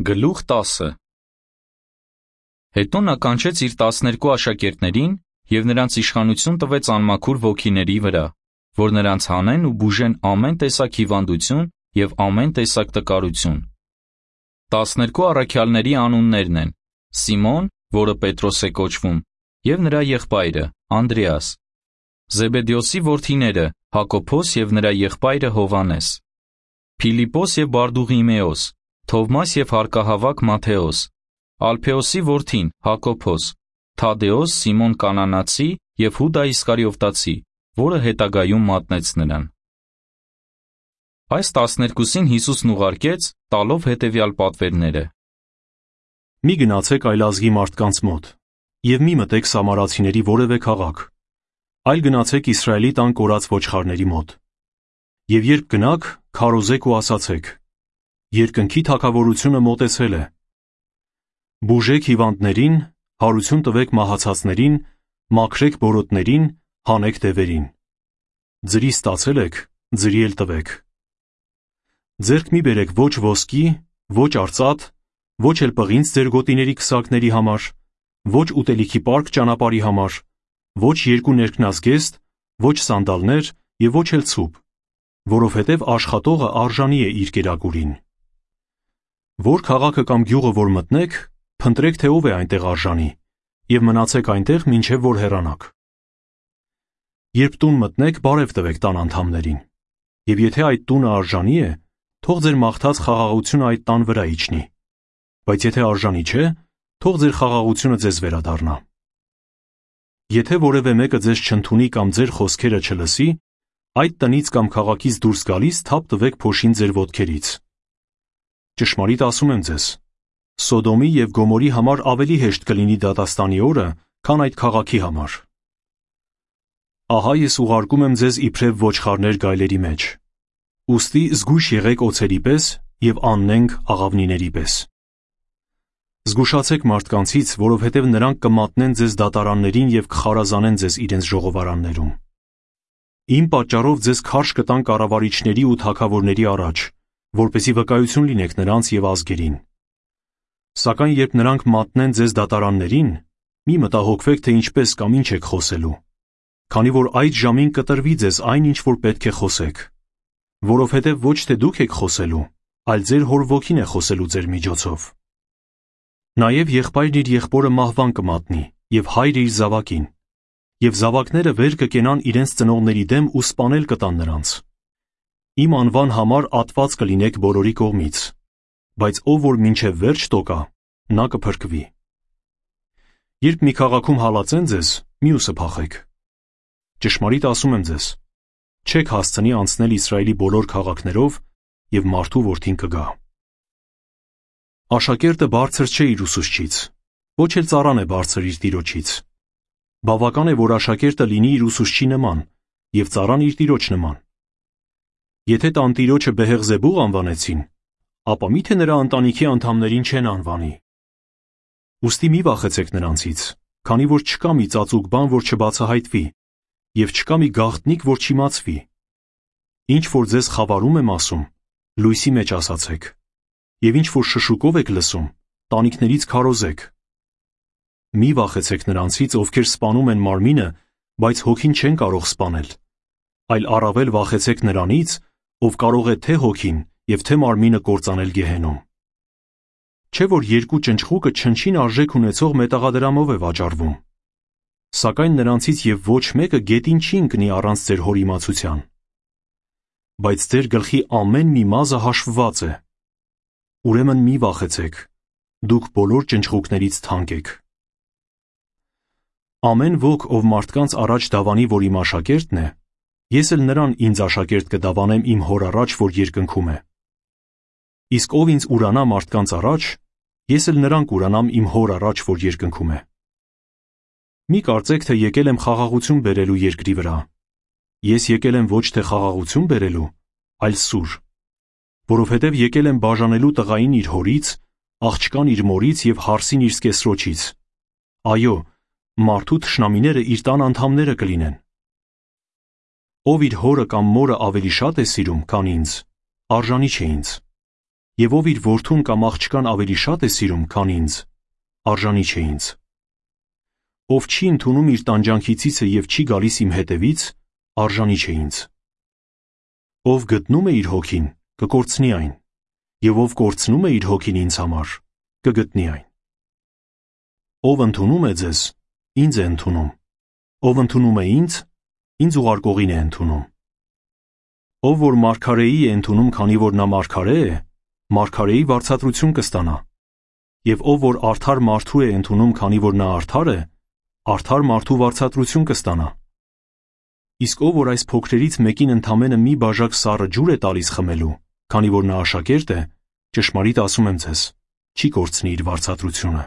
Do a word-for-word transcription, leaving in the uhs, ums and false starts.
Գլուխ տասը Հետո նա կանչեց իր տասներկու աշակերտներին և նրանց իշխանություն տվեց անմաքուր ոգիների վրա, որ նրանց հանեն ու բուժեն ամեն տեսակ հիվանդություն և ամեն տեսակ տկարություն։ Տասներկու առաքյալների անուններն են. Սիմոն, որը Պետրոս է կոչվում, և նրա եղբայրը՝ Անդրեաս, Զեբեդեոսի որդիները՝ Հակոբոս և նրա եղբայրը Հովհաննես, Փիլիպպոս և Բարդուղիմեոս, Թովմաս և հարկահավաք Մատթեոս, Ալփեոսի որդին Հակոբոս, Թադեոս, Սիմոն Կանանացի և Հուդա Իսկարիովտացի, որը հետագայում մատնեց նրան։ Այս տասներկուսին Հիսուսն ուղարկեց, տալով հետևյալ պատվերները. Մի գնացեք այլ ազգի մարդկանց մոտ, և մի մտեք սամարացիների որևէ քաղաք, այլ գնացեք Իսրայելի տան կորած ոչխարների մոտ։ Եվ երբ գնաք, քարոզեք ու ասացեք. երկնքի թագավորությունը մոտեցել է։ Բուժեք հիվանդներին, հարություն տվեք մահացածներին, մաքրեք բորոտներին, հանեք դևերին։ Ձրի ստացել եք, ձրի էլ տվեք։ Ձեռք մի բերեք ոչ ոսկի, ոչ արծաթ, ոչ էլ պղինձ ձեր գոտիների քսակների համար, ոչ ուտելիքի պարկ ճանապարհի համար, ոչ երկու ներքնազգեստ, ոչ սանդալներ և ոչ էլ ցուպ, որովհետև աշխատողը արժանի է իր կերակուրին։ Որ քաղաքը կամ գյուղը որ մտնեք, փնտրեք, թե ով է այնտեղ արժանի, և մնացեք այնտեղ, մինչև որ հեռանաք։ Երբ տուն մտնեք, բարև տվեք տան անդամներին, և եթե այդ տունը արժանի է, թող ձեր մաղթած խաղաղությունը այդ տան վրա իջնի, բայց եթե արժանի չէ, թող ձեր խաղաղությունը ձեզ վերադառնա։ Եթե որևէ մեկը ձեզ չընդունի կամ ձեր խոսքերը չլսի, այդ տնից կամ քաղաքից դուրս գալիս թափ տվեք փոշին ձեր ոտքերից։ Ճշմարիտ ասում եմ ձեզ, Սոդոմի և Գոմորի համար ավելի հեշտ կլինի դատաստանի օրը, քան այդ քաղաքի համար։ Ահա ես ուղարկում եմ ձեզ իբրև ոչխարներ գայլերի մեջ։ Ուստի զգույշ եղեք օձերի պես և աննենգ աղավնիների պես։ Զգուշացեք մարդկանցից, որովհետև նրանք կմատնեն ձեզ դատարաններին և կխարազանեն ձեզ իրենց ժողովարաններում։ Իմ պատճառով ձեզ քարշ կտան կառավարիչների ու թագավորների առաջ, որպեսզի վկայություն լինեք նրանց և ազգերին։ Սակայն երբ նրանք մատնեն ձեզ դատարաններին, մի մտահոգվեք, թե ինչպես կամ ինչ եք խոսելու, քանի որ այդ ժամին կտրվի ձեզ այն, ինչ որ պետք է խոսեք, որովհետև ոչ թե դուք եք խոսելու, այլ ձեր հոր ոգին է խոսելու ձեր միջոցով։ Նաև եղբայրն իր եղբորը մահվան կմատնի, և հայրը իր զավակին, և զավակները վեր կկենան իրենց ծնողների դեմ ու սպանել կտան նրանց։ Իմ անվան համար ատված կլինեք բոլորի կողմից, բայց ով որ մինչև վերջ տոկա, նա կփրկվի։ Երբ մի քաղաքում հալածեն ձեզ, մյուսը փախեք։ Ճշմարիտ ասում եմ ձեզ, չեք հասցնի անցնել Իսրայելի բոլոր քաղաքներով, և մարդու որդին կգա։ Աշակերտը բարձր չէ իր ուսուցչից, ոչ էլ ծառան է բարձր իր տիրոջից։ Բավական է, որ աշակերտը լինի իր ուսուցչի նման, և ծառան իր տիրոջ նման։ Եթե տանտիրոջը Բեհեղզեբուղ անվանեցին, ապա մի՞թե նրա ընտանիքի անդամներին չեն անվանի։ Ուստի մի վախեցեք նրանցից, քանի որ չկա մի ծածուկ բան, որ չբացահայտվի, և չկա մի գաղտնիք, որ չիմացվի։ Ինչ որ ձեզ խավարում եմ ասում, լույսի մեջ ասացեք, և ինչ որ շշուկով եք լսում, տանիքներից քարոզեք։ Մի վախեցեք նրանցից, ովքեր սպանում են մարմինը, բայց հոգին չեն կարող սպանել, այլ առավել վախեցեք նրանից, ով կարող է թե հոգին և թե մարմինը կործանել գեհենում։ Չէ՞ որ երկու ճնճղուկը չնչին արժեք ունեցող մետաղադրամով է վաճառվում։ Սակայն նրանցից և ոչ մեկը գետին չի ընկնի առանց ձեր հոր իմացության։ Բայց ձեր գլխի ամեն մի մազը հաշվված է։ Ուրեմն մի վախեցեք, դուք բոլոր ճնճղուկներից թանկ եք։ Ամեն ոք, ով մարդկանց առաջ դավանի, որ իմ աշակերտն է, ես էլ նրան ինձ աշակերտ կդավանեմ իմ հոր առաջ, որ երկնքում է։ Իսկ ով ինձ ուրանա մարդկանց առաջ, ես էլ նրան կուրանամ իմ հոր առաջ, որ երկնքում է։ Մի կարծեք, թե եկել եմ խաղաղություն բերելու երկրի վրա։ Ես եկել եմ ոչ թե խաղաղություն բերելու, այլ սուր, որովհետև եկել եմ բաժանելու տղային իր հորից, աղջկան իր մորից և հարսին իր սկեսրոջից։ Այո, մարդու թշնամիները իր տան անդամները կլինեն։ Ով իր հորը կամ մորը ավելի շատ է սիրում, քան ինձ, արժանի չէ ինձ։ Եվ ով իր որդուն կամ աղջկան ավելի շատ է սիրում, քան ինձ, արժանի չէ ինձ։ Ով չի ընդունում իր տանջանքի ցիցը և չի գալիս իմ հետևից, արժանի չէ ինձ։ Ով գտնում է իր հոգին, կկորցնի այն, և ով կորցնում է իր հոգին ինձ համար, կգտնի այն։ Ով ընդունում է ձեզ, ինձ է ընդունում, ով ընդունում է ինձ, ինձ ուղարկողին է ընդունում։ Ով որ մարգարեի է ընդունում, քանի որ նա մարգարե է, մարգարեի վարձատրություն կստանա, և ով որ արդար մարդու է ընդունում, քանի որ նա արդար է, արդար մարդու վարձատրություն կստանա։ Իսկ ով որ այս փոքրերից մեկին ընդամենը մի բաժակ սառը ջուր է տալիս խմելու, քանի որ նա աշակերտ է, ճշմարիտ ասում եմ ձեզ, չի կորցնի իր վարձատրությունը։